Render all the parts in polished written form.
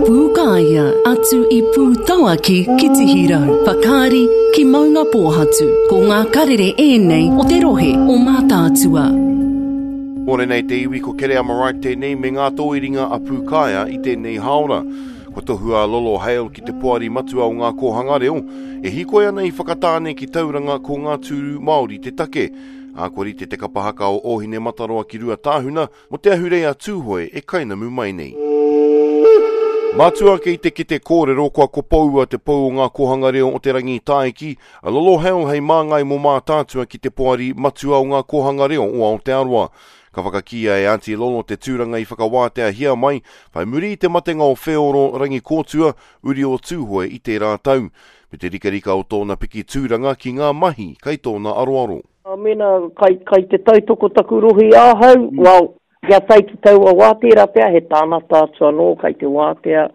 Pūkāea, atu i Pūtauaki ki Tihirau, Whakaari ki Maungapōhatu. Ko ngā karere ēnei o te rohe o Mātaatua. Mōrena e te iwi, ko Kereama Wright tēnei me ngā tōiringa a Pūkāea i tēnei hāora. Kua tohua a Lolo Hale ki te Poari Matua o Ngā Kōhanga Reo, e hīkoi ana i Whakatāne ki Tauranga ko ngā tūru Māori te take. Ā, kua rite te kapa haka o Ōhinemataroa ki Ruatāhuna mō te ahurei a Tūhoe e kainamu mai nei. Mātua ake i te kete kōrero kua kopoua te pou o ngā kōhanga reo o Te Rangitāiki, a Lolo Hale hei māngai mō Mātaatua ki te Poari Matua o Ngā Kōhanga Reo o Aotearoa. Ka whakakīia e Aunty Lolo te tūranga i whakawāteahia mai whai muri i te matenga o Wheoro Rangikōtua, uri o Tūhoe i tērā tau, me te rikarika o tōna piki tūranga ki ngā mahi kai tōna aroaro. Mēnā kai, kai te tautoko taku rohe i ahau, well, kia tae ki taua wā, tērā pea he tānata atu anō kai te wātea,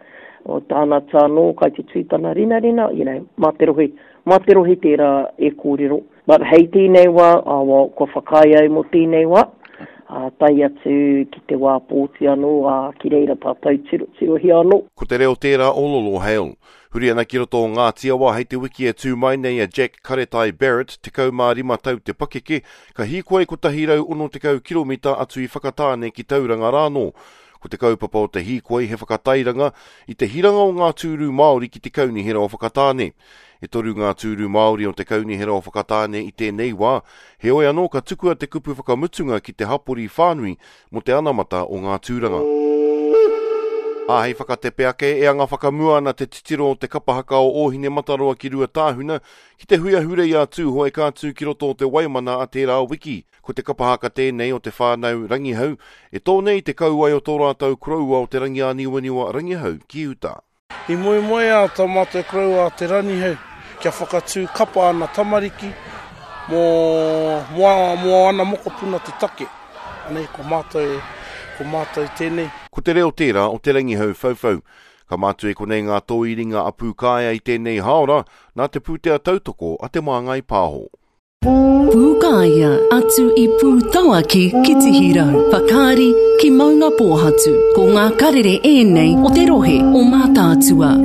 o tānata anō kai te tū tana rinarina, you know, mā te rohe, mā te rohe tērā e kōrero. But hei tēnei wā, oh well, kua whakaae au mō tēnei wā, ā, tae atu ki te wā pōti anō, ā, ki reira tātou tiro, tirohia anō. Ko te reo tērā o Lolo Hale. Huri ana ki roto o Ngāti Awa hei te wiki e tū mai nei a Jack Karetai Barrett, 15 tau te pakeke, ka hīkoi 160 kiromita atu i Whakatāne ki Tauranga rānō. Ko te kaupapa o te hīkoi he whakatairanga i te hiranga o ngā tūru Māori ki te Kaunihera o Whakatāne. E toru ngā tūru Māori o te Kaunihera o Whakatāne i tēnei wā, heoi anō ka tukua te kupu whakamutunga ki te hapori whānui mō te anamata o ngā tūranga. Ā, hei whakatepe ake, e anga whakamua ana te titiro o te kapa haka o Ōhinemataroa ki Ruatāhuna ki te hui ahurei a Tūhoe ka tū ki roto o te Waimana a tērā wiki. Ko te kapa haka tēnei o te whānau Rangihau e tō nei te kauae o tō rātou koroua o Te Rangiāniwaniwa Rangihau ki uta. I moemoeā tā mātou koroua a Te Ranihau kia whakatū kapa ana tamariki mō, mō, mō ana mokopuna te take. Anei, ko mātou, ko mātou tēnei. Ko te reo tērā o Te Rangihau Whauwhau. Ka mātua i konei ngā tōiringa a Pūkāea i tēnei hāora, nā te pūtea tautoko a Te Māngai Pāho. Pūkāea, atu i Pūtauaki ki Tihirau, Whakaari ki Maungapōhatu. Ko ngā karere ēnei o te rohe o Mātaatua.